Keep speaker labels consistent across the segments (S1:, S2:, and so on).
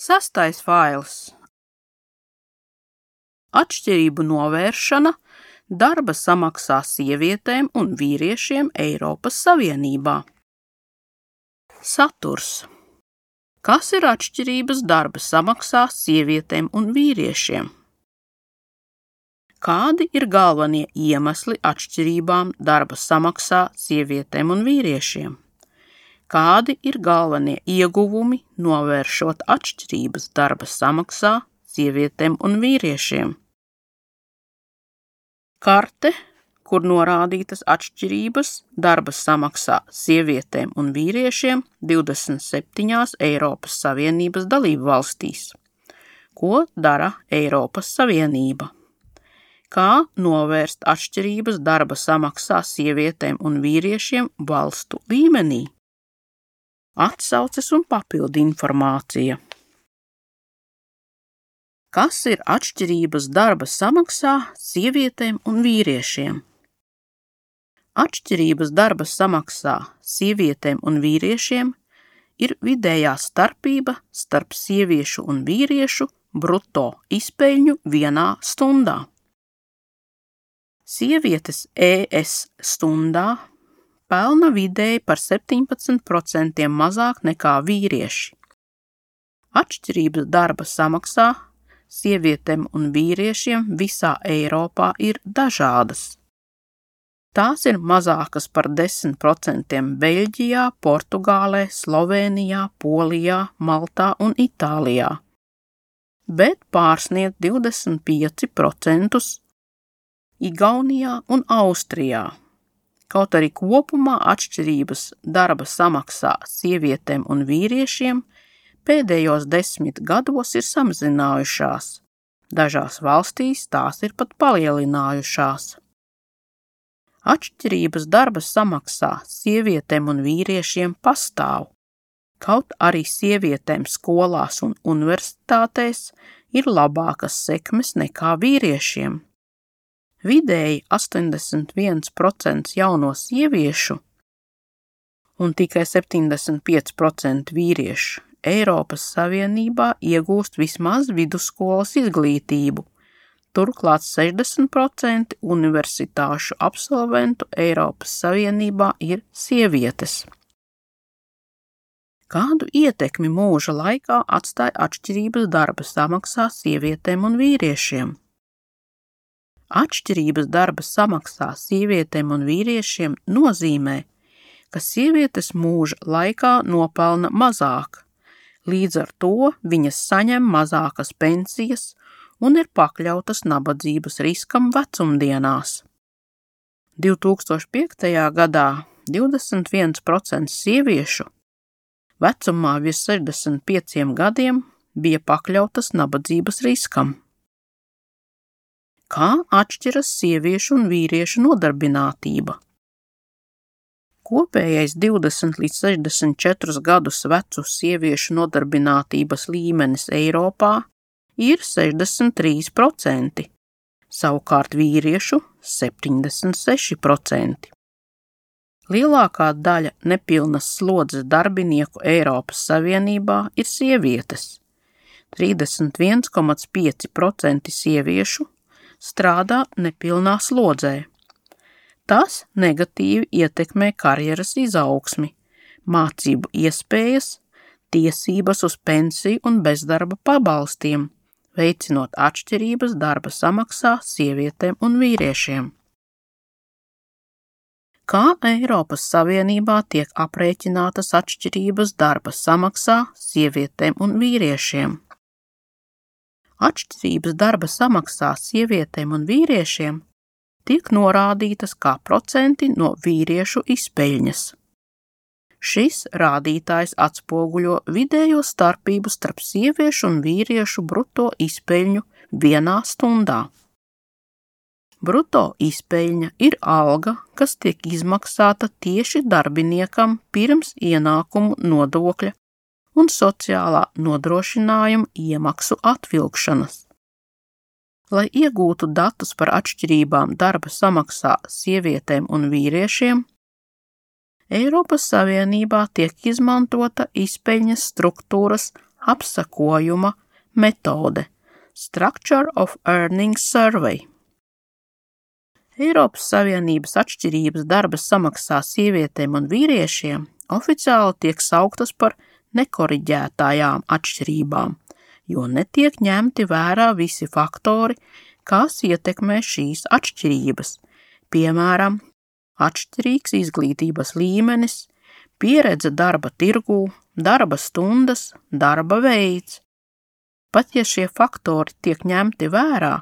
S1: Sastais fails. Atšķirību novēršana darba samaksā sievietēm un vīriešiem Eiropas Savienībā. Saturs. Kas ir atšķirības darba samaksā sievietēm un vīriešiem? Kādi ir galvenie iemesli atšķirībām darba samaksā sievietēm un vīriešiem? Kādi ir galvenie ieguvumi novēršot atšķirības darba samaksā sievietēm un vīriešiem? Karte, kur norādītas atšķirības darba samaksā sievietēm un vīriešiem 27 Eiropas Savienības dalību valstīs. Ko dara Eiropas Savienība? Kā novērst atšķirības darba samaksā sievietēm un vīriešiem valstu līmenī? Atsauces un papildu informācija. Kas ir atšķirības darba samaksā sievietēm un vīriešiem? Atšķirības darba samaksā sievietēm un vīriešiem ir vidējā starpība starp sieviešu un vīriešu bruto izpeļņu vienā stundā. Sievietes ES stundā pelna vidēji par 17% mazāk nekā vīrieši. Atšķirības darba samaksā sievietēm un vīriešiem visā Eiropā ir dažādas. Tās ir mazākas par 10% Beļģijā, Portugālē, Slovēnijā, Polijā, Maltā un Itālijā, bet pārsniedz 25% Igaunijā un Austrijā. Kaut arī kopumā atšķirības darba samaksā sievietēm un vīriešiem pēdējos 10 gados ir samazinājušās. Dažās valstīs tās ir pat palielinājušās. Atšķirības darba samaksā sievietēm un vīriešiem pastāv. Kaut arī sievietēm skolās un universitātēs ir labākas sekmes nekā vīriešiem. Vidēji 81% jauno sieviešu un tikai 75% vīriešu Eiropas Savienībā iegūst vismaz vidusskolas izglītību. Turklāt 60% universitāšu absolventu Eiropas Savienībā ir sievietes. Kādu ietekmi mūža laikā atstāja atšķirības darba samaksā sievietēm un vīriešiem? Atšķirības darba samaksā sievietēm un vīriešiem nozīmē, ka sievietes mūža laikā nopelna mazāk, līdz ar to viņas saņem mazākas pensijas un ir pakļautas nabadzības riskam vecumdienās. 2005. gadā 21% sieviešu vecumā virs 65 gadiem bija pakļautas nabadzības riskam. Kā atšķiras sieviešu un vīriešu nodarbinātība? Kopējais 20 līdz 64 gadus vecu sieviešu nodarbinātības līmenis Eiropā ir 63%, savukārt vīriešu 76%. Lielākā daļa nepilnas slodzes darbinieku Eiropas Savienībā ir sievietes. 31,5% sieviešu strādā nepilnā slodzē. Tas negatīvi ietekmē karjeras izaugsmi, mācību iespējas, tiesības uz pensiju un bezdarba pabalstiem, veicinot atšķirības darba samaksā sievietēm un vīriešiem. Kā Eiropas Savienībā tiek aprēķinātas atšķirības darba samaksā sievietēm un vīriešiem? Atšķirības darba samaksā sievietēm un vīriešiem tiek norādītas kā procenti no vīriešu izpeļņas. Šis rādītājs atspoguļo vidējo starpību starp sieviešu un vīriešu bruto izpeļņu vienā stundā. Bruto izpeļņa ir alga, kas tiek izmaksāta tieši darbiniekam pirms ienākumu nodokļa un sociālā nodrošinājuma iemaksu atvilkšanas. Lai iegūtu datus par atšķirībām darba samaksā sievietēm un vīriešiem, Eiropas Savienībā tiek izmantota izpeļņas struktūras apsakojuma metode Structure of Earnings Survey. Eiropas Savienības atšķirības darba samaksā sievietēm un vīriešiem oficiāli tiek sauktas par nekoriģētajām atšķirībām, jo netiek ņemti vērā visi faktori, kas ietekmē šīs atšķirības, piemēram, atšķirīgs izglītības līmenis, pieredze darba tirgū, darba stundas, darba veids. Pat ja šie faktori tiek ņemti vērā,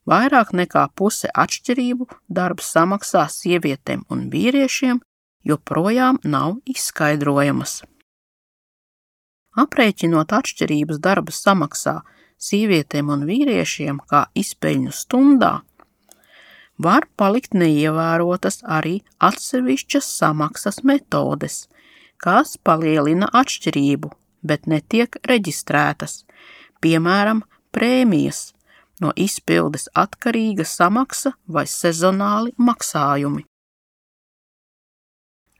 S1: vairāk nekā puse atšķirību darba samaksā sievietēm un vīriešiem joprojām nav izskaidrojamas. Aprēķinot atšķirības darba samaksā sievietēm un vīriešiem kā izpeļņu stundā, var palikt neievērotas arī atsevišķas samaksas metodes, kas palielina atšķirību, bet netiek reģistrētas, piemēram, prēmijas, no izpildes atkarīga samaksa vai sezonāli maksājumi.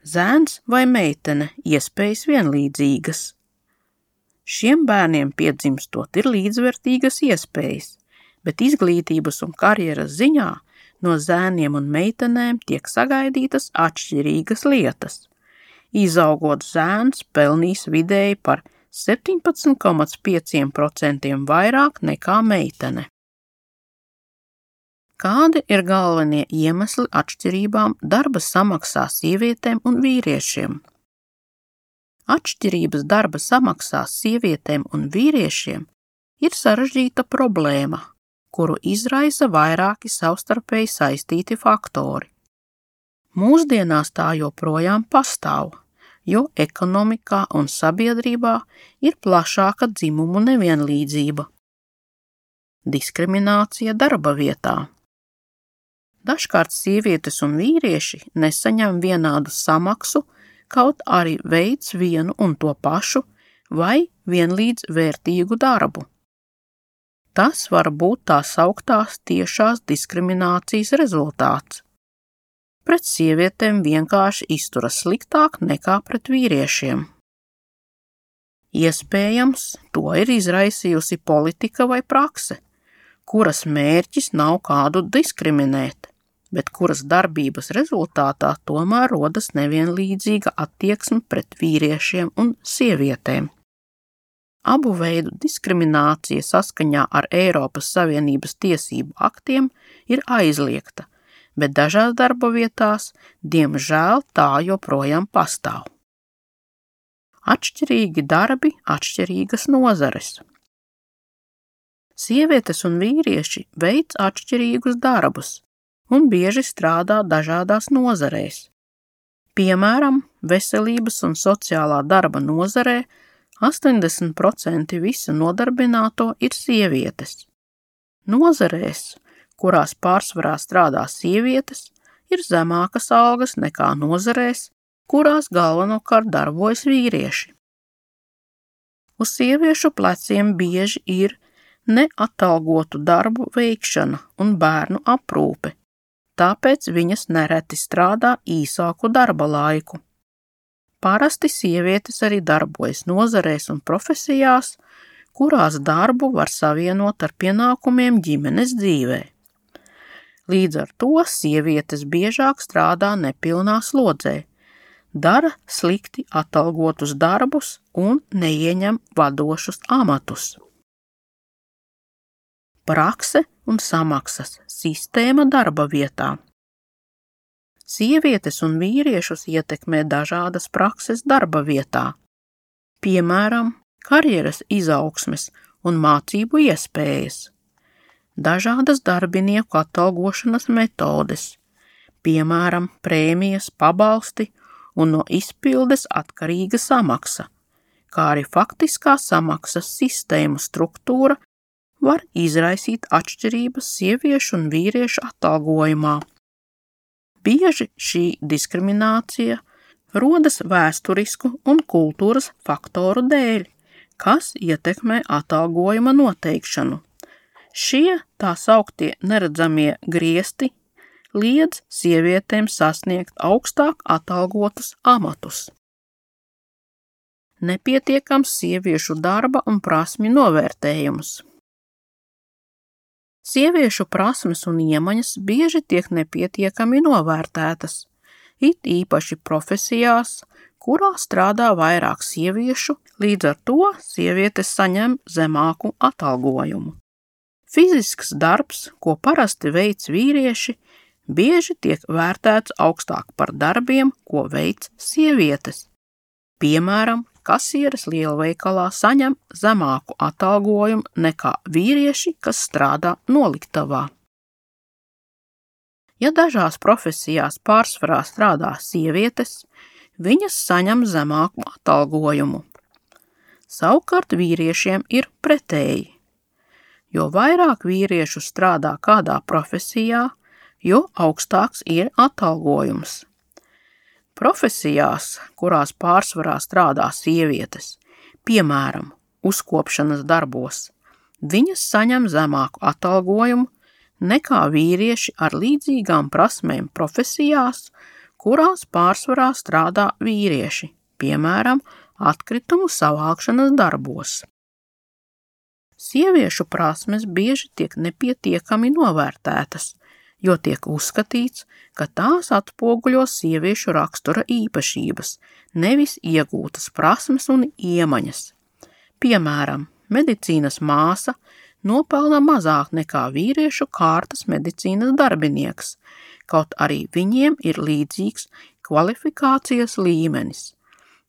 S1: Zēns vai meitene iespējas vienlīdzīgas. Šiem bērniem piedzimstot ir līdzvērtīgas iespējas, bet izglītības un karjeras ziņā no zēniem un meitenēm tiek sagaidītas atšķirīgas lietas. Izaugot zēns pelnīs vidēji par 17,5% vairāk nekā meitene. Kādi ir galvenie iemesli atšķirībām darba samaksā sievietēm un vīriešiem? Atšķirības darba samaksā sievietēm un vīriešiem ir sarežģīta problēma, kuru izraisa vairāki savstarpēji saistīti faktori. Mūsdienās tā joprojām pastāv, jo ekonomikā un sabiedrībā ir plašāka dzimumu nevienlīdzība. Diskriminācija darba vietā. Dažkārt sievietes un vīrieši nesaņem vienādu samaksu, kaut arī veic vienu un to pašu vai vienlīdz vērtīgu darbu. Tas var būt tā sauktās tiešās diskriminācijas rezultāts. Pret sievietēm vienkārši izturas sliktāk nekā pret vīriešiem. Iespējams, to ir izraisījusi politika vai prakse, kuras mērķis nav kādu diskriminēt, bet kuras darbības rezultātā tomēr rodas nevienlīdzīga attieksme pret vīriešiem un sievietēm. Abu veidu diskriminācija saskaņā ar Eiropas Savienības tiesību aktiem ir aizliegta, bet dažās darba vietās, diemžēl, tā joprojām pastāv. Atšķirīgi darbi, atšķirīgas nozares. Sievietes un vīrieši veic atšķirīgus darbus un bieži strādā dažādās nozarēs. Piemēram, veselības un sociālā darba nozarē 80% visu nodarbināto ir sievietes. Nozarēs, kurās pārsvarā strādā sievietes, ir zemākas algas nekā nozarēs, kurās galvenokārt darbojas vīrieši. Uz sieviešu pleciem bieži ir neatalgotu darbu veikšana un bērnu aprūpe, tāpēc viņas nereti strādā īsāku darba laiku. Parasti sievietes arī darbojas nozarēs un profesijās, kurās darbu var savienot ar pienākumiem ģimenes dzīvē. Līdz ar to sievietes biežāk strādā nepilnā slodzē, dara slikti atalgotus darbus un neieņem vadošus amatus. Prakse un samaksas sistēma darba vietā. Sievietes un vīriešus ietekmē dažādas prakses darba vietā, piemēram, karjeras izaugsmes un mācību iespējas, dažādas darbinieku atalgošanas metodes, piemēram, prēmijas, pabalsti un no izpildes atkarīga samaksa, kā arī faktiskā samaksas sistēmu struktūra var izraisīt atšķirības sieviešu un vīriešu atalgojumā. Bieži šī diskriminācija rodas vēsturisku un kultūras faktoru dēļ, kas ietekmē atalgojuma noteikšanu. Šie tā sauktie neredzamie griesti liedz sievietēm sasniegt augstāk atalgotus amatus. nepietiekams sieviešu darba un prasmi novērtējums. Sieviešu prasmes un iemaņas bieži tiek nepietiekami novērtētas, it īpaši profesijās, kurā strādā vairāk sieviešu, līdz ar to sievietes saņem zemāku atalgojumu. Fizisks darbs, ko parasti veic vīrieši, bieži tiek vērtēts augstāk par darbiem, ko veic sievietes. Piemēram, kasieres lielveikalā saņem zemāku atalgojumu nekā vīrieši, kas strādā noliktavā. Ja dažās profesijās pārsvarā strādā sievietes, viņas saņem zemāku atalgojumu. Savukārt vīriešiem ir pretēji. Jo vairāk vīriešu strādā kādā profesijā, jo augstāks ir atalgojums. Profesijās, kurās pārsvarā strādā sievietes, piemēram, uzkopšanas darbos, viņas saņem zemāku atalgojumu nekā vīrieši ar līdzīgām prasmēm profesijās, kurās pārsvarā strādā vīrieši, piemēram, atkritumu savākšanas darbos. Sieviešu prasmes bieži tiek nepietiekami novērtētas, jo tiek uzskatīts, ka tās atspoguļo sieviešu rakstura īpašības, nevis iegūtas prasmes un iemaņas. Piemēram, medicīnas māsa nopelna mazāk nekā vīriešu kārtas medicīnas darbinieks, kaut arī viņiem ir līdzīgs kvalifikācijas līmenis.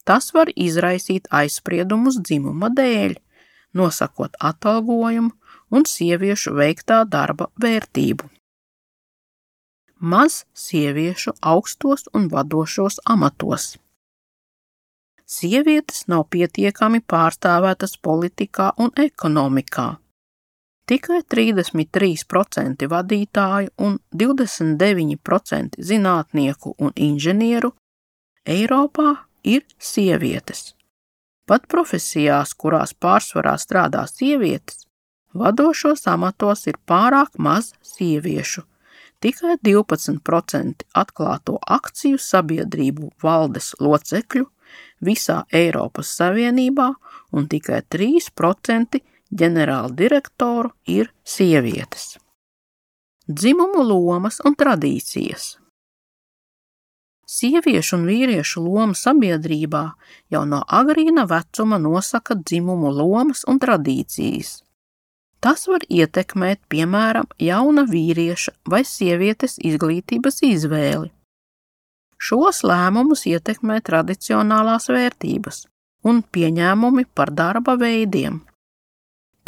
S1: Tas var izraisīt aizspriedumus dzimuma dēļ, nosakot atalgojumu un sieviešu veiktā darba vērtību. Maz sieviešu augstos un vadošos amatos. Sievietes nav pietiekami pārstāvētas politikā un ekonomikā. Tikai 33% vadītāju un 29% zinātnieku un inženieru Eiropā ir sievietes. Pat profesijās, kurās pārsvarā strādā sievietes, vadošos amatos ir pārāk maz sieviešu. Tikai 12% atklāto akciju sabiedrību valdes locekļu visā Eiropas Savienībā un tikai 3% ģenerāla direktoru ir sievietes. Dzimumu lomas un tradīcijas. Sieviešu un vīriešu loma sabiedrībā jau no agrīna vecuma nosaka dzimumu lomas un tradīcijas. Tas var ietekmēt, piemēram, jauna vīrieša vai sievietes izglītības izvēli. Šos lēmumus ietekmē tradicionālās vērtības un pieņēmumi par darba veidiem.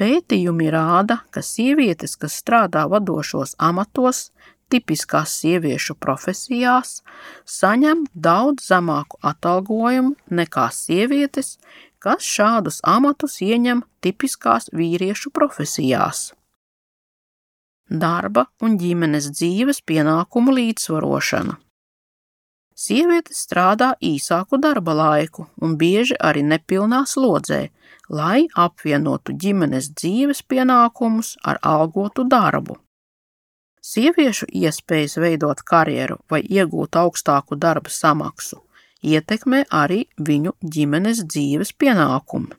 S1: Pētījumi rāda, ka sievietes, kas strādā vadošos amatos, tipiskās sieviešu profesijās, saņem daudz zemāku atalgojumu nekā sievietes, kas šādus amatus ieņem tipiskās vīriešu profesijās. Darba un ģimenes dzīves pienākumu līdzsvarošana. Sievietes strādā īsāku darba laiku un bieži arī nepilnā slodzē, lai apvienotu ģimenes dzīves pienākumus ar algotu darbu. Sieviešu iespējas veidot karjeru vai iegūt augstāku darba samaksu ietekmē arī viņu ģimenes dzīves pienākumi.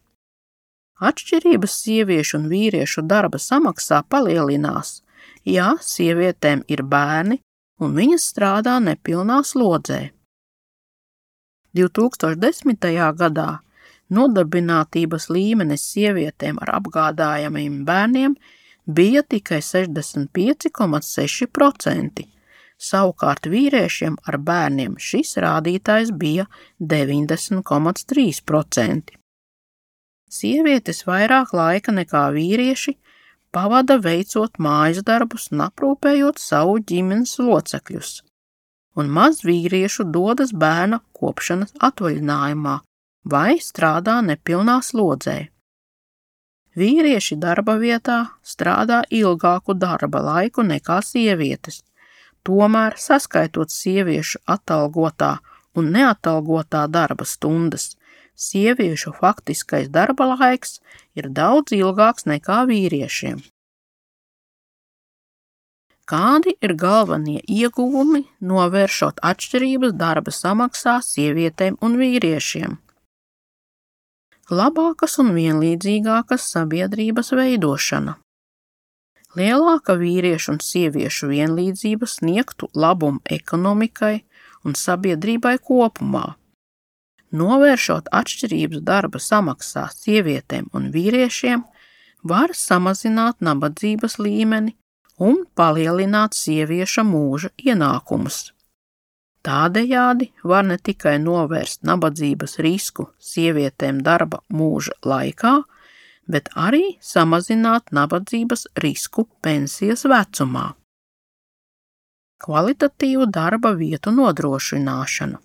S1: Atšķirības sieviešu un vīriešu darba samaksā palielinās, ja sievietēm ir bērni un viņas strādā nepilnā slodzē. 2010. gadā nodarbinātības līmenis sievietēm ar apgādājamiem bērniem bija tikai 65,6%, savukārt vīriešiem ar bērniem šis rādītājs bija 90,3%. Sievietes vairāk laika nekā vīrieši pavada veicot mājas darbus un aprūpējot savu ģimenes locekļus, un maz vīriešu dodas bērna kopšanas atvaļinājumā vai strādā nepilnā slodzē. Vīrieši darba vietā strādā ilgāku darba laiku nekā sievietes, tomēr saskaitot sieviešu atalgotā un neatalgotā darba stundas, sieviešu faktiskais darba laiks ir daudz ilgāks nekā vīriešiem. Kādi ir galvenie ieguvumi, novēršot atšķirības darba samaksā sievietēm un vīriešiem? labākas un vienlīdzīgākas sabiedrības veidošana. Lielāka vīriešu un sieviešu vienlīdzība sniegtu labumu ekonomikai un sabiedrībai kopumā. Novēršot atšķirības darba samaksā sievietēm un vīriešiem, var samazināt nabadzības līmeni un palielināt sievieša mūža ienākumus. Tādējādi var ne tikai novērst nabadzības risku sievietēm darba mūža laikā, bet arī samazināt nabadzības risku pensijas vecumā. Kvalitatīvu darba vietu nodrošināšana.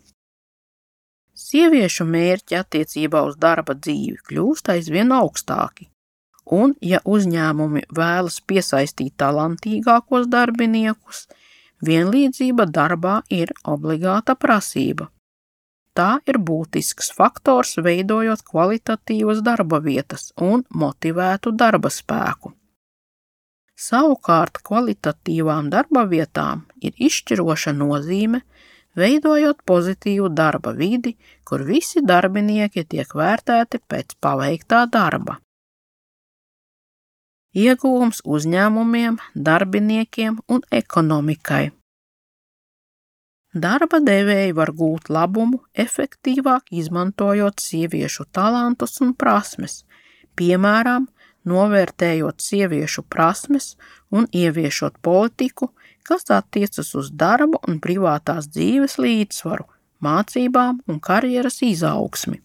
S1: Sieviešu mērķi attiecībā uz darba dzīvi kļūst aizvien augstāki, un, ja uzņēmumi vēlas piesaistīt talantīgākos darbiniekus, vienlīdzība darbā ir obligāta prasība. Tā ir būtisks faktors, veidojot kvalitatīvas darba vietas un motivētu darba spēku. Savukārt kvalitatīvām darba vietām ir izšķiroša nozīme, veidojot pozitīvu darba vidi, kur visi darbinieki tiek vērtēti pēc paveiktā darba. Ieguvums uzņēmumiem, darbiniekiem un ekonomikai. Darba devēji var gūt labumu, efektīvāk izmantojot sieviešu talantus un prasmes, piemēram, novērtējot sieviešu prasmes un ieviešot politiku, kas attiecas uz darba un privātās dzīves līdzsvaru, mācībām un karjeras izaugsmi.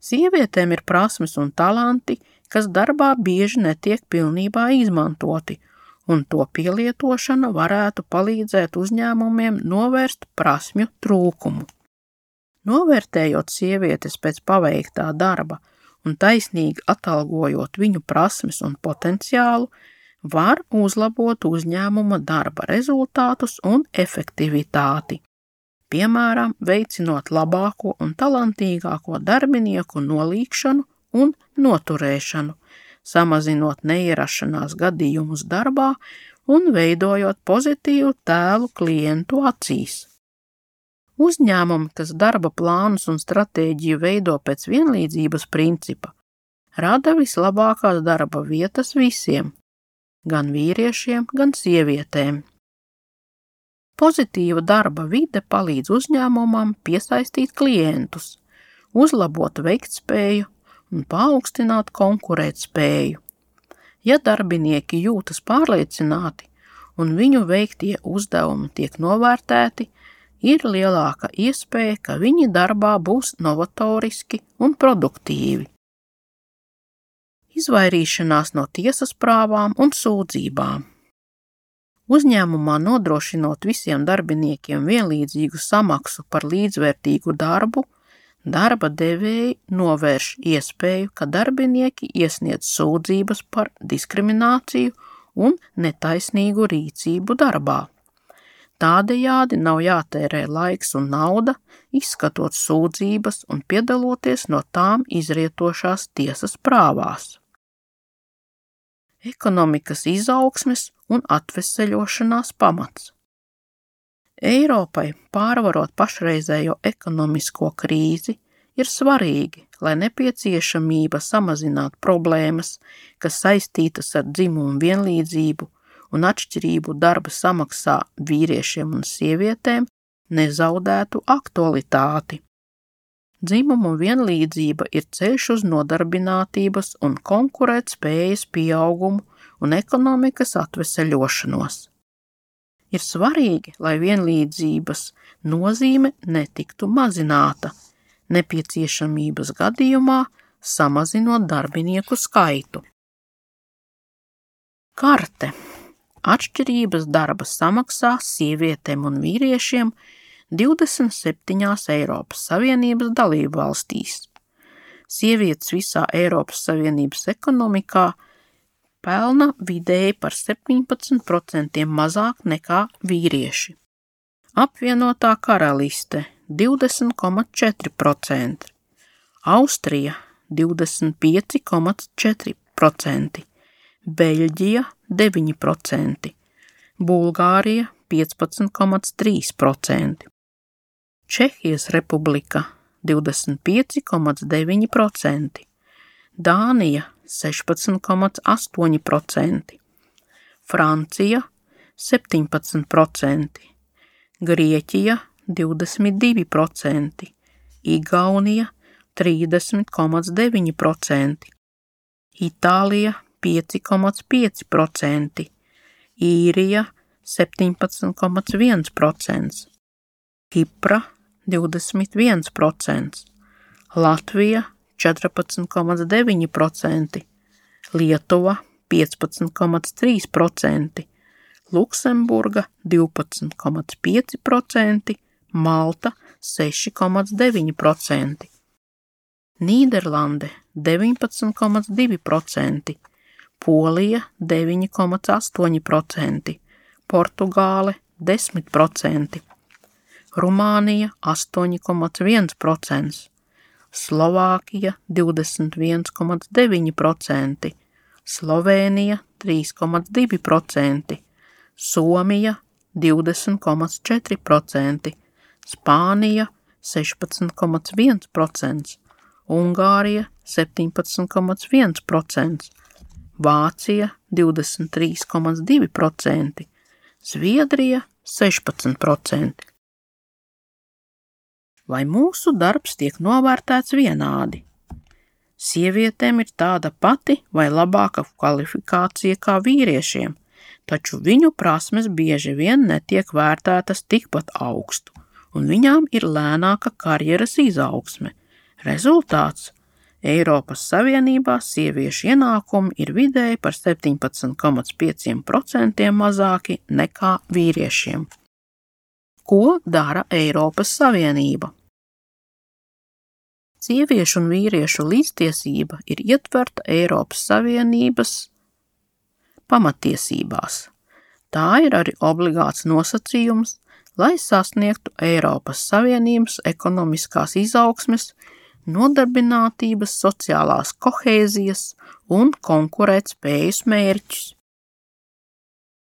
S1: Sievietēm ir prasmes un talanti, kas darbā bieži netiek pilnībā izmantoti, un to pielietošana varētu palīdzēt uzņēmumiem novērst prasmju trūkumu. Novērtējot sievietes pēc paveiktā darba un taisnīgi atalgojot viņu prasmes un potenciālu, var uzlabot uzņēmuma darba rezultātus un efektivitāti, piemēram, veicinot labāko un talantīgāko darbinieku nolīgšanu un noturēšanu, samazinot neierašanās gadījumus darbā un veidojot pozitīvu tēlu klientu acīs. Uzņēmumi, kas darba plānus un stratēģiju veido pēc vienlīdzības principa, rada vislabākās darba vietas visiem, gan vīriešiem, gan sievietēm. Pozitīva darba vide palīdz uzņēmumam piesaistīt klientus, uzlabot veiktspēju un paaugstināt konkurētspēju. Ja darbinieki jūtas pārliecināti un viņu veiktie uzdevumi tiek novērtēti, ir lielāka iespēja, ka viņi darbā būs novatoriski un produktīvi. Izvairīšanās no tiesas prāvām un sūdzībām. Uzņēmumā nodrošinot visiem darbiniekiem vienlīdzīgu samaksu par līdzvērtīgu darbu, darba devēji novērš iespēju, ka darbinieki iesniedz sūdzības par diskrimināciju un netaisnīgu rīcību darbā. Tādējādi nav jātērē laiks un nauda, izskatot sūdzības un piedaloties no tām izrietošās tiesas prāvās. Ekonomikas izaugsmes un atveseļošanās pamats. Eiropai, pārvarot pašreizējo ekonomisko krīzi, ir svarīgi, lai nepieciešamība samazināt problēmas, kas saistītas ar dzimumu vienlīdzību un atšķirību darba samaksā vīriešiem un sievietēm, nezaudētu aktualitāti. Dzimumu vienlīdzība ir ceļš uz nodarbinātības un konkurētspējas pieaugumu un ekonomikas atveseļošanos. Ir svarīgi, lai vienlīdzības nozīme netiktu mazināta, nepieciešamības gadījumā samazinot darbinieku skaitu. Karte. Atšķirības darba samaksā sievietēm un vīriešiem 27 Eiropas Savienības dalībvalstīs. Sievietes visā Eiropas Savienības ekonomikā pelna vidēji par 17% mazāk nekā vīrieši. Apvienotā karaliste 20,4%, Austrija 25,4%, Beļģija 9%, Bulgārija 15,3%, Čehijas republika 25,9%, Dānija 16,8%, Francija 17%, Grieķija 22%, Igaunija 30,9%, Itālija 5,5%, Īrija 17,1%, Kipra 21%, Latvija 14,9%, Lietuva 15,3%, Luksemburga 12,5%, Malta 6,9%, Nīderlande 19,2%, Polija 9,8%, Portugāle 10%, Rumānija 8,1%, Slovākija 21,9%, Slovēnija 3,2%, Somija 20,4%, Spānija 16,1%, Ungārija 17,1%, Vācija 23,2%, Zviedrija 16%. Vai mūsu darbs tiek novērtēts vienādi? Sievietēm ir tāda pati vai labāka kvalifikācija kā vīriešiem, taču viņu prasmes bieži vien netiek vērtētas tikpat augstu, un viņām ir lēnāka karjeras izaugsme. Rezultāts – Eiropas Savienībā sieviešu ienākumi ir vidēji par 17,5% mazāki nekā vīriešiem. Ko dara Eiropas Savienība? Sieviešu un vīriešu līdztiesība ir ietverta Eiropas Savienības pamatiesībās. Tā ir arī obligāts nosacījums, lai sasniegtu Eiropas Savienības ekonomiskās izaugsmes, nodarbinātības, sociālās kohēzijas un konkurētspējas mērķus.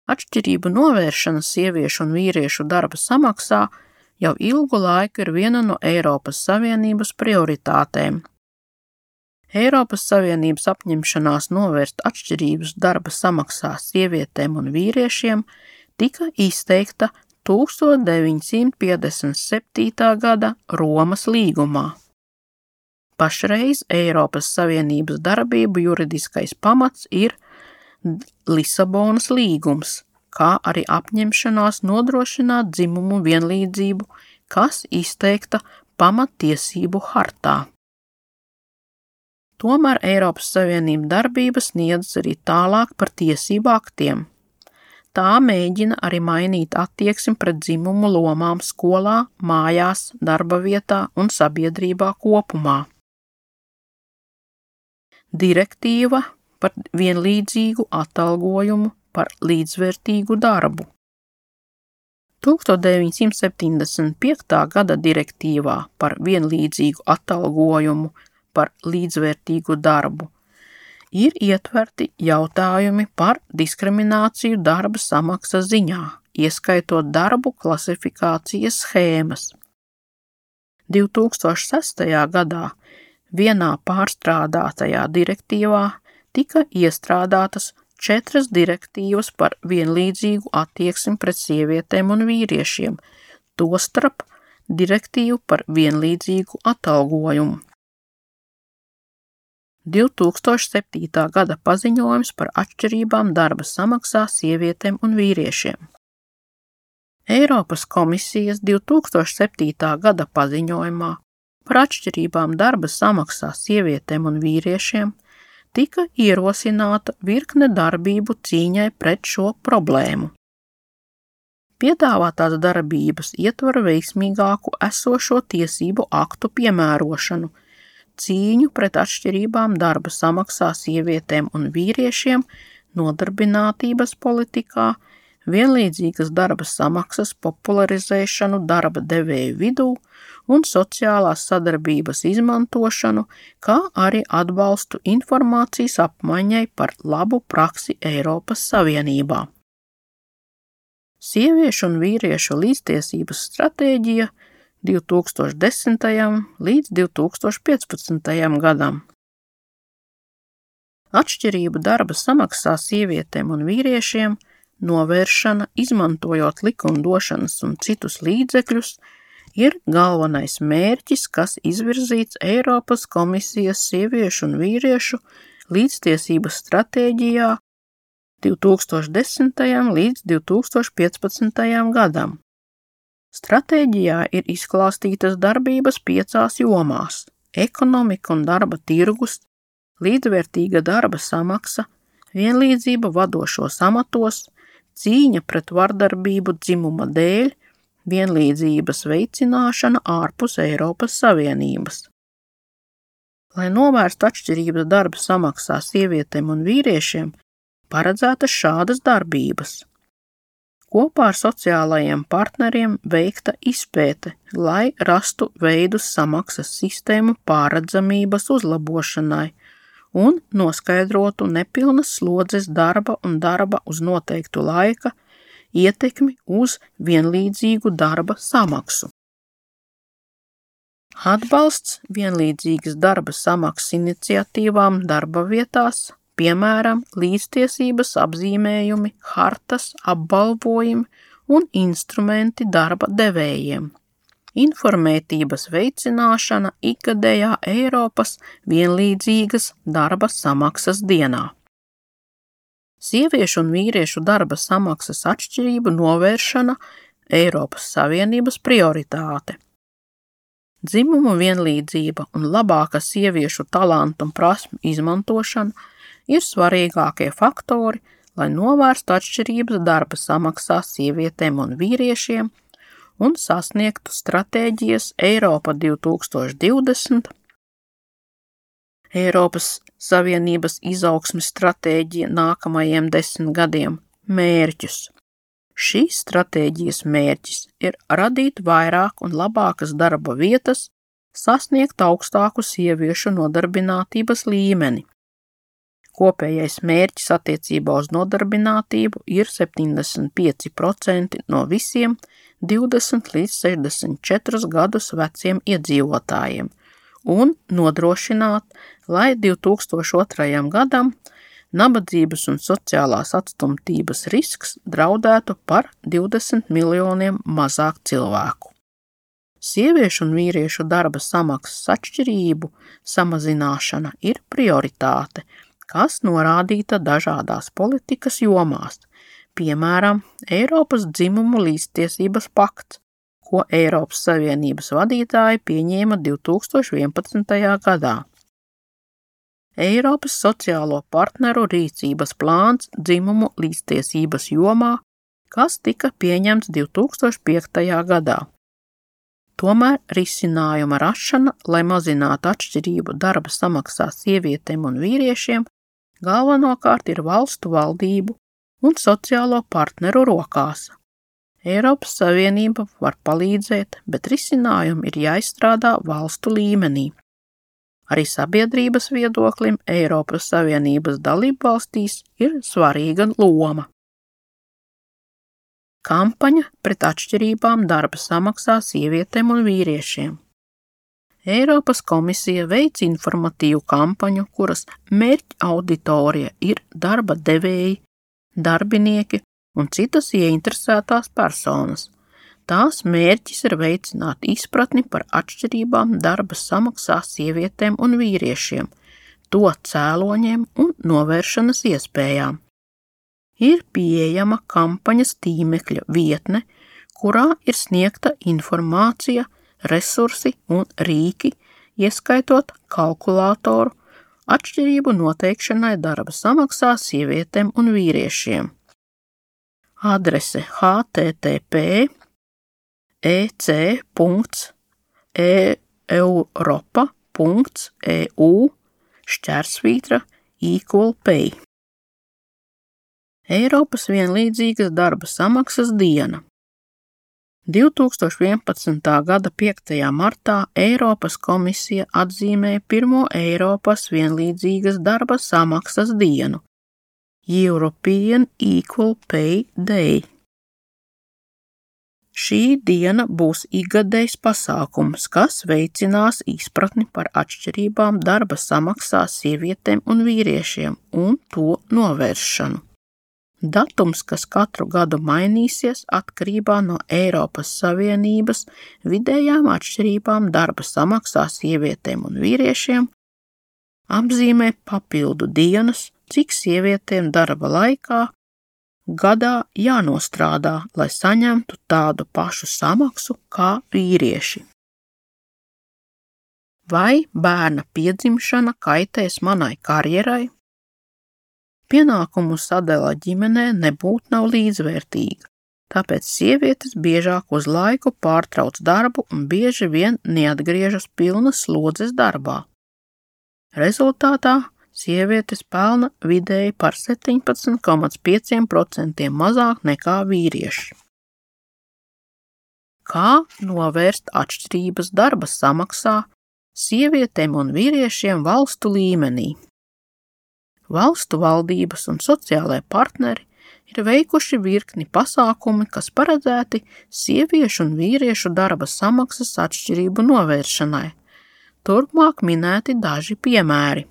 S1: Atšķirību novēršana sieviešu un vīriešu darba samaksā jau ilgu laiku ir viena no Eiropas Savienības prioritātēm. Eiropas Savienības apņemšanās novērst atšķirības darba samaksā sievietēm un vīriešiem tika izteikta 1957. gada Romas līgumā. Pašreiz Eiropas Savienības darbību juridiskais pamats ir Lisabonas līgums, kā arī apņemšanās nodrošināt dzimumu vienlīdzību, kas izteikta pamattiesību hartā. Tomēr Eiropas Savienība darbība sniedz arī tālāk par tiesību aktiem. Tā mēģina arī mainīt attieksmi pret dzimumu lomām skolā, mājās, darba vietā un sabiedrībā kopumā. Direktīva par vienlīdzīgu atalgojumu par līdzvērtīgu darbu. 1975. gada direktīvā par vienlīdzīgu atalgojumu par līdzvērtīgu darbu ir ietverti jautājumi par diskrimināciju darba samaksas ziņā, ieskaitot darbu klasifikācijas schēmas. 2006. gadā vienā pārstrādātajā direktīvā tika iestrādātas 4 direktīvas par vienlīdzīgu attieksmi pret sievietēm un vīriešiem, tostarp direktīvu par vienlīdzīgu atalgojumu. 2007. gada paziņojums par atšķirībām darba samaksā sievietēm un vīriešiem. Eiropas komisijas 2007. gada paziņojumā par atšķirībām darba samaksā sievietēm un vīriešiem tika ierosināta virkne darbību cīņai pret šo problēmu. Piedāvātās darbības ietver veiksmīgāku esošo tiesību aktu piemērošanu, cīņu pret atšķirībām darba samaksā sievietēm un vīriešiem, nodarbinātības politikā, vienlīdzīgas darba samaksas popularizēšanu darba devēju vidū un sociālās sadarbības izmantošanu, kā arī atbalstu informācijas apmaiņai par labu praksi Eiropas Savienībā. Sieviešu un vīriešu līdztiesības stratēģija 2010. līdz 2015. gadam. Atšķirību darba samaksā sievietēm un vīriešiem novēršana, izmantojot likumdošanas un citus līdzekļus, ir galvenais mērķis, kas izvirzīts Eiropas komisijas sieviešu un vīriešu līdztiesības stratēģijā 2010. līdz 2015. gadam. Stratēģijā ir izklāstītas darbības 5 jomās – ekonomika un darba tirgus, līdzvērtīga darba samaksa, vienlīdzība vadošos amatos, cīņa pret vardarbību dzimuma dēļ, vienlīdzības veicināšana ārpus Eiropas Savienības. Lai novērstu atšķirības darba samaksā sievietēm un vīriešiem, paredzētas šādas darbības. Kopā ar sociālajiem partneriem veikta izpēte, lai rastu veidus samaksas sistēmu pārredzamības uzlabošanai un noskaidrotu nepilnas slodzes darba un darba uz noteiktu laika ietekmi uz vienlīdzīgu darba samaksu. Atbalsts vienlīdzīgas darba samaksas iniciatīvām darba vietās, piemēram, līdztiesības apzīmējumi, hartas, apbalvojumi un instrumenti darba devējiem. Informētības veicināšana ikgadējā Eiropas vienlīdzīgas darba samaksas dienā. Sieviešu un vīriešu darba samaksas atšķirību novēršana Eiropas Savienības prioritāte. Dzimumu vienlīdzība un labāka sieviešu talantu un prasmu izmantošana ir svarīgākie faktori, lai novērstu atšķirības darba samaksā sievietēm un vīriešiem un sasniegtu stratēģijas Eiropa 2020, Eiropas Savienības izaugsmes stratēģija nākamajiem 10 gadiem mērķus. Šīs stratēģijas mērķis ir radīt vairāk un labākas darba vietas, sasniegt augstāku sieviešu nodarbinātības līmeni. Kopējais mērķis attiecībā uz nodarbinātību ir 75% no visiem 20 līdz 64 gadus veciem iedzīvotājiem un nodrošināt, lai 2002. gadam nabadzības un sociālās atstumtības risks draudētu par 20 miljoniem mazāk cilvēku. Sieviešu un vīriešu darba samaksas atšķirību samazināšana ir prioritāte, kas norādīta dažādās politikas jomās, piemēram, Eiropas dzimumu līdztiesības pakts, ko Eiropas Savienības vadītāji pieņēma 2011. gadā. Eiropas sociālo partneru rīcības plāns dzimumu līdztiesības jomā, kas tika pieņemts 2005. gadā. Tomēr risinājuma rašana, lai mazinātu atšķirību darba samaksā sievietēm un vīriešiem, galvenokārt ir valstu valdību un sociālo partneru rokās. Eiropas Savienība var palīdzēt, bet risinājumi ir jāizstrādā valstu līmenī. Arī sabiedrības viedoklim Eiropas Savienības dalībvalstīs ir svarīga loma. Kampaņa pret atšķirībām darba samaksā sievietēm un vīriešiem. Eiropas komisija veic informatīvu kampaņu, kuras mērķa auditorija ir darba devēji, darbinieki un citas ieinteresētās personas. Tās mērķis ir veicināt izpratni par atšķirībām darba samaksā sievietēm un vīriešiem, to cēloņiem un novēršanas iespējām. Ir pieejama kampaņas tīmekļa vietne, kurā ir sniegta informācija, resursi un rīki, ieskaitot kalkulātoru, atšķirību noteikšanai darba samaksā sievietēm un vīriešiem. Adrese http://ec.europa.eu/equal-pay. Eiropas vienlīdzīgas darba samaksas diena. 2011. gada 5. martā Eiropas komisija atzīmēja pirmo Eiropas vienlīdzīgas darba samaksas dienu – European Equal Pay Day. Šī diena būs ikgadējs pasākums, kas veicinās izpratni par atšķirībām darba samaksā sievietēm un vīriešiem un to novēršanu. Datums, kas katru gadu mainīsies atkarībā no Eiropas Savienības vidējām atšķirībām darba samaksā sievietēm un vīriešiem, apzīmē papildu dienas, cik sievietēm darba laikā gadā jānostrādā, lai saņemtu tādu pašu samaksu kā vīrieši. Vai bērna piedzimšana kaitēs manai karjerai? Pienākumu sadala ģimenē nebūtu nav līdzvērtīga, tāpēc sievietes biežāk uz laiku pārtrauc darbu un bieži vien neatgriežas pilnas slodzes darbā. Rezultātā sievietes pelna vidēji par 17,5% mazāk nekā vīrieši. Kā novērst atšķirības darba samaksā sievietēm un vīriešiem valstu līmenī? Valstu valdības un sociālai partneri ir veikuši virkni pasākumi, kas paredzēti sieviešu un vīriešu darba samaksas atšķirību novēršanai. Turpmāk minēti daži piemēri.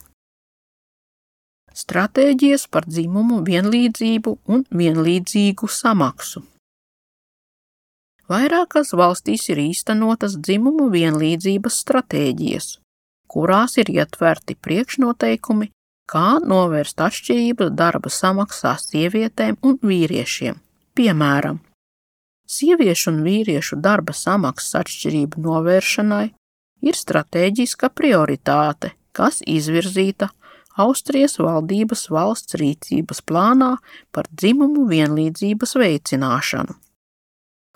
S1: Stratēģijas par dzimumu vienlīdzību un vienlīdzīgu samaksu. Vairākās valstīs ir īstenotas dzimumu vienlīdzības stratēģijas, kurās ir ietverti priekšnoteikumi, kā novērst atšķirības darba samaksā sievietēm un vīriešiem. Piemēram, sieviešu un vīriešu darba samaksas atšķirību novēršanai ir stratēģiska prioritāte, kas izvirzīta Austrijas valdības valsts rīcības plānā par dzimumu vienlīdzības veicināšanu.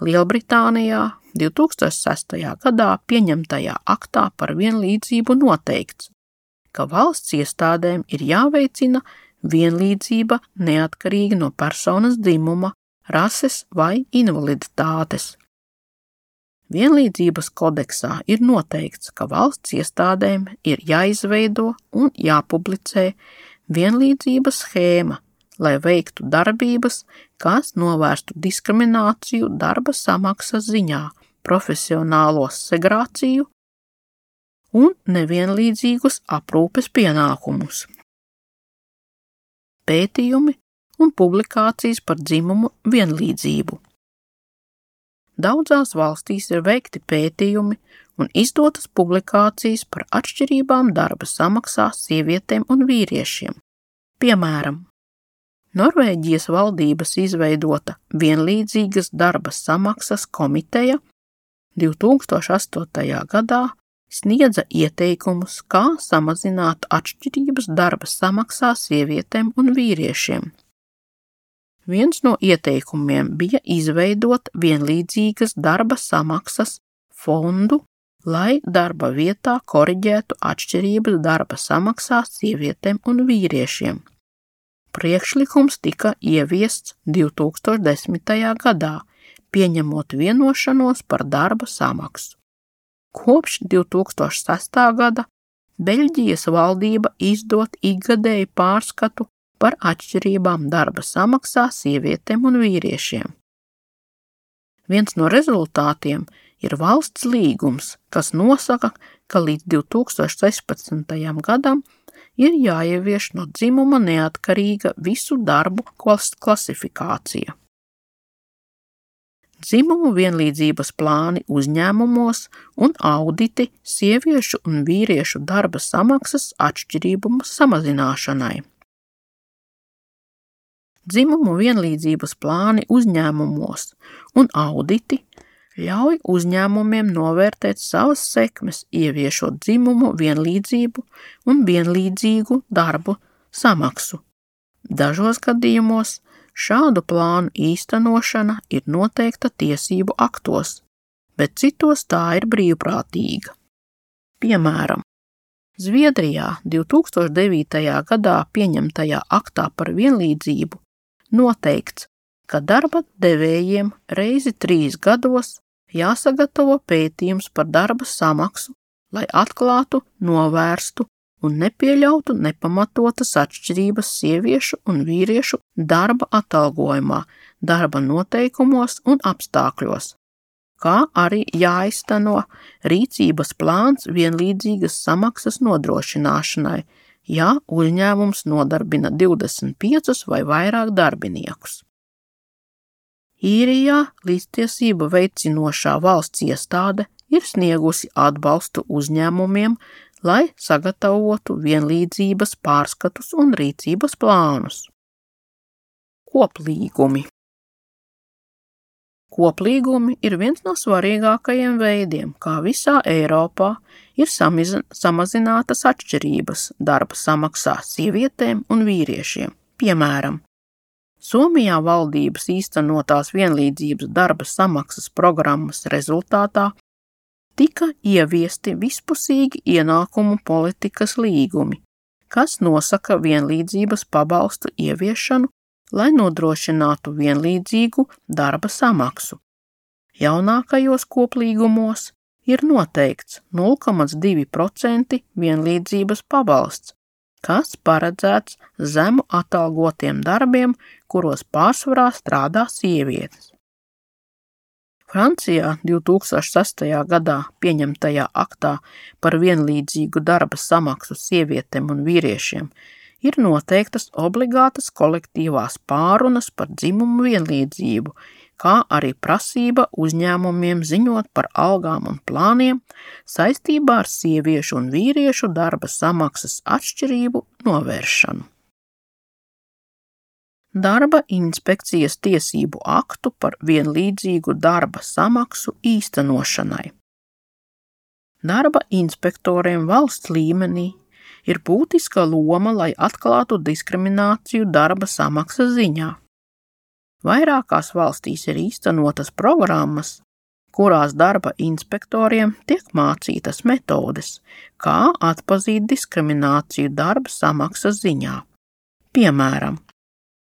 S1: Lielbritānijā 2006. gadā pieņemtajā aktā par vienlīdzību noteikts, ka valsts iestādēm ir jāveicina vienlīdzība neatkarīgi no personas dzimuma, rases vai invaliditātes. Vienlīdzības kodeksā ir noteikts, ka valsts iestādēm ir jāizveido un jāpublicē vienlīdzības schēma, lai veiktu darbības, kas novērstu diskrimināciju darba samaksas ziņā, profesionālo segregāciju un nevienlīdzīgus aprūpes pienākumus. Pētījumi un publikācijas par dzimumu vienlīdzību. Daudzās valstīs ir veikti pētījumi un izdotas publikācijas par atšķirībām darba samaksā sievietēm un vīriešiem. Piemēram, Norvēģijas valdības izveidota vienlīdzīgas darba samaksas komiteja 2008. gadā sniedza ieteikumus, kā samazināt atšķirības darba samaksā sievietēm un vīriešiem. Viens no ieteikumiem bija izveidot vienlīdzīgas darba samaksas fondu, lai darba vietā koriģētu atšķirības darba samaksā sievietēm un vīriešiem. Priekšlikums tika ieviests 2010. gadā, pieņemot vienošanos par darba samaksu. Kopš 2006. gada Beļģijas valdība izdod ikgadēju pārskatu par atšķirībām darba samaksā sievietēm un vīriešiem. Viens no rezultātiem ir valsts līgums, kas nosaka, ka līdz 2016. gadam ir jāievieš no dzimuma neatkarīga visu darbu klasifikācija. Dzimumu vienlīdzības plāni uzņēmumos un auditi sieviešu un vīriešu darba samaksas atšķirību samazināšanai. Dzimumu vienlīdzības plāni uzņēmumos un auditi ļauj uzņēmumiem novērtēt savas sekmes, ieviešot dzimumu vienlīdzību un vienlīdzīgu darbu samaksu. Dažos gadījumos šādu plānu īstenošana ir noteikta tiesību aktos, bet citos tā ir brīvprātīga. Piemēram, Zviedrijā 2009. gadā pieņemtajā aktā par vienlīdzību noteikts, ka darba devējiem reizi 3 gados jāsagatavo pētījums par darba samaksu, lai atklātu, novērstu un nepieļautu nepamatotas atšķirības sieviešu un vīriešu darba atalgojumā, darba noteikumos un apstākļos, kā arī jāizteno rīcības plāns vienlīdzīgas samaksas nodrošināšanai, ja uzņēmums nodarbina 25 vai vairāk darbiniekus. Īrijā līdztiesību veicinošā valsts iestāde ir sniegusi atbalstu uzņēmumiem, lai sagatavotu vienlīdzības pārskatus un rīcības plānus. Koplīgumi. Koplīgumi ir viens no svarīgākajiem veidiem, kā visā Eiropā ir samazinātas atšķirības darba samaksā sievietēm un vīriešiem. Piemēram, Somijā valdības īstenotās vienlīdzības darba samaksas programmas rezultātā tika ieviesti vispusīgi ienākumu politikas līgumi, kas nosaka vienlīdzības pabalstu ieviešanu, lai nodrošinātu vienlīdzīgu darba samaksu. Jaunākajos koplīgumos ir noteikts 0,2% vienlīdzības pabalsts, kas paredzēts zemu atalgotiem darbiem, kuros pārsvarā strādā sievietes. Francijā 2006. gadā pieņemtajā aktā par vienlīdzīgu darba samaksu sievietēm un vīriešiem ir noteiktas obligātas kolektīvās pārunas par dzimumu vienlīdzību, kā arī prasība uzņēmumiem ziņot par algām un plāniem saistībā ar sieviešu un vīriešu darba samaksas atšķirību novēršanu. Darba inspekcijas tiesību aktu par vienlīdzīgu darba samaksu īstenošanai. Darba inspektoriem valsts līmenī ir būtiska loma, lai atklātu diskrimināciju darba samaksas ziņā. Vairākās valstīs ir īstenotas programmas, kurās darba inspektoriem tiek mācītas metodes, kā atpazīt diskrimināciju darba samaksas ziņā. Piemēram,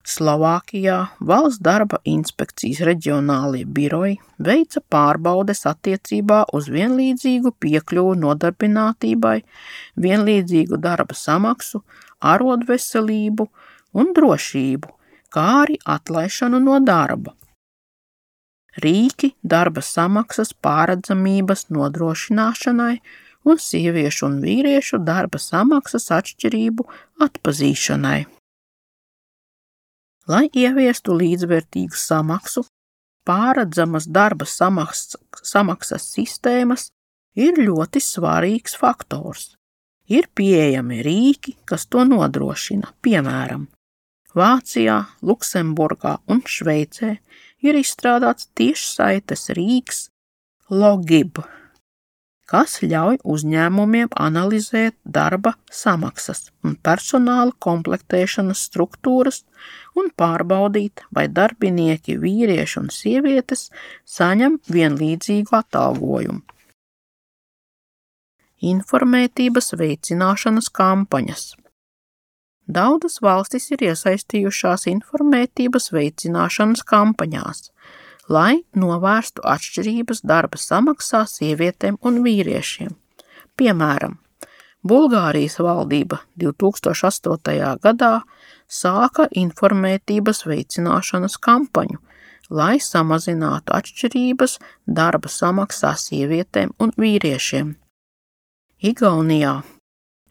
S1: Slovākijā valsts darba inspekcijas reģionālie biroji veica pārbaudes attiecībā uz vienlīdzīgu piekļuvu nodarbinātībai, vienlīdzīgu darba samaksu, arodveselību un drošību, kā arī atlaišanu no darba. Rīki darba samaksas pārredzamības nodrošināšanai un sieviešu un vīriešu darba samaksas atšķirību atpazīšanai. Lai ieviestu līdzvērtīgu samaksu, pārredzamas darba samaksas sistēmas ir ļoti svarīgs faktors. Ir pieejami rīki, kas to nodrošina, piemēram, Vācijā, Luksemburgā un Šveicē ir izstrādāts tiešsaites rīks Logib, kas ļauj uzņēmumiem analizēt darba samaksas un personāla komplektēšanas struktūras un pārbaudīt, vai darbinieki vīrieši un sievietes saņem vienlīdzīgu atalgojumu. Informētības veicināšanas kampaņas. Daudzas valstis ir iesaistījušās informētības veicināšanas kampaņās, lai novērstu atšķirības darba samaksā sievietēm un vīriešiem. Piemēram, Bulgārijas valdība 2008. gadā sāka informētības veicināšanas kampaņu, lai samazinātu atšķirības darba samaksā sievietēm un vīriešiem. Igaunijā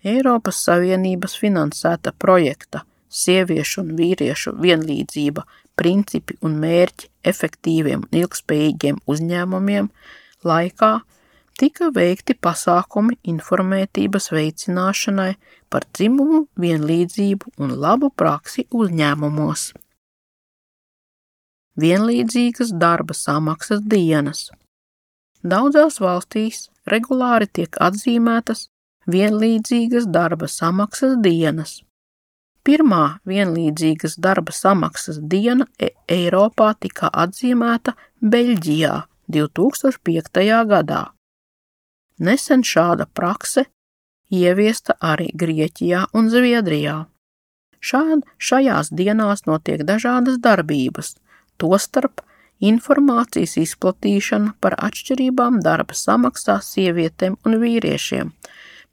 S1: Eiropas Savienības finansēta projekta Sieviešu un vīriešu vienlīdzība, principi un mērķi efektīviem un ilgspējīgiem uzņēmumiem laikā tika veikti pasākumi informētības veicināšanai par dzimumu vienlīdzību un labu praksi uzņēmumos. Vienlīdzīgas darba samaksas dienas. Daudzās valstīs regulāri tiek atzīmētas vienlīdzīgas darba samaksas dienas. Pirmā vienlīdzīgas darba samaksas diena Eiropā tika atzīmēta Beļģijā 2005. gadā. Nesen šāda prakse ieviesta arī Grieķijā un Zviedrijā. Šajās dienās notiek dažādas darbības, tostarp informācijas izplatīšana par atšķirībām darba samaksā sievietēm un vīriešiem,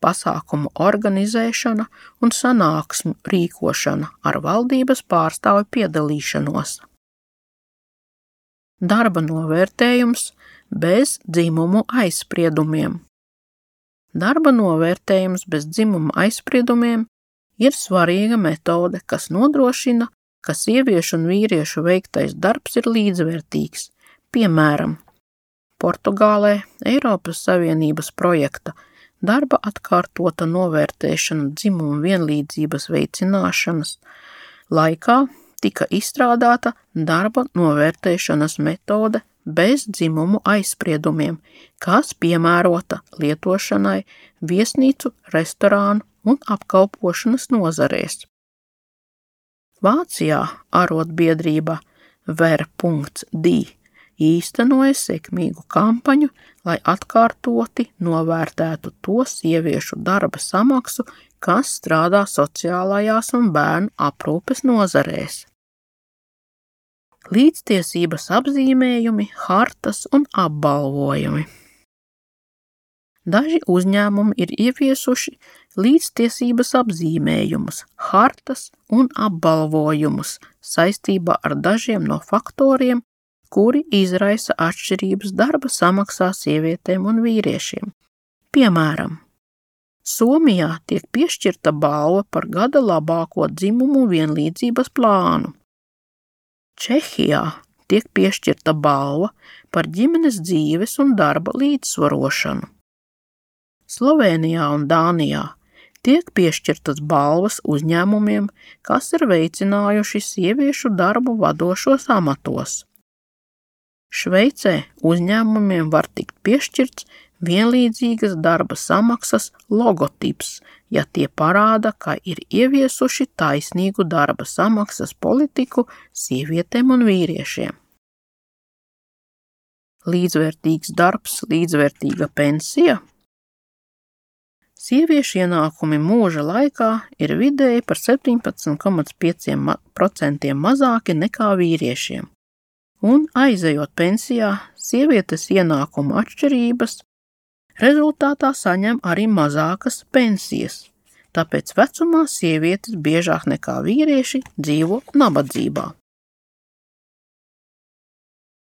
S1: pasākumu organizēšana un sanāksmu rīkošana ar valdības pārstāvju piedalīšanos. Darba novērtējums bez dzimumu aizspriedumiem. Darba novērtējums bez dzimuma aizspriedumiem ir svarīga metode, kas nodrošina, ka sieviešu un vīriešu veiktais darbs ir līdzvērtīgs. Piemēram, Portugālē Eiropas Savienības projekta darba atkārtota novērtēšana dzimuma vienlīdzības veicināšanas laikā tika izstrādāta darba novērtēšanas metode bez dzimumu aizspriedumiem, kas piemērota lietošanai viesnīcu, restorānu un apkalpošanas nozarēs. Vācijā arotbiedrība Ver.D īstenoja sekmīgu kampaņu, lai atkārtoti novērtētu to sieviešu darba samaksu, kas strādā sociālajās un bērnu aprūpes nozarēs. Līdztiesības apzīmējumi, hartas un apbalvojumi. Daži uzņēmumi ir ieviesuši līdztiesības apzīmējumus, hartas un apbalvojumus saistībā ar dažiem no faktoriem, kuri izraisa atšķirības darba samaksā sievietēm un vīriešiem. Piemēram, Somijā tiek piešķirta balva par gada labāko dzimumu vienlīdzības plānu. Čehijā tiek piešķirta balva par ģimenes dzīves un darba līdzsvarošanu. Slovēnijā un Dānijā tiek piešķirtas balvas uzņēmumiem, kas ir veicinājuši sieviešu darbu vadošos amatos. Šveicē uzņēmumiem var tikt piešķirts vienlīdzīgas darba samaksas logotips, ja tie parāda, ka ir ieviesuši taisnīgu darba samaksas politiku sievietēm un vīriešiem. Līdzvērtīgs darbs, līdzvērtīga pensija. Sieviešu ienākumi mūža laikā ir vidēji par 17,5% mazāki nekā vīriešiem. Un aizejot pensijā, sievietes ienākumu atšķirības rezultātā saņem arī mazākas pensijas, tāpēc vecumā sievietes biežāk nekā vīrieši dzīvo nabadzībā.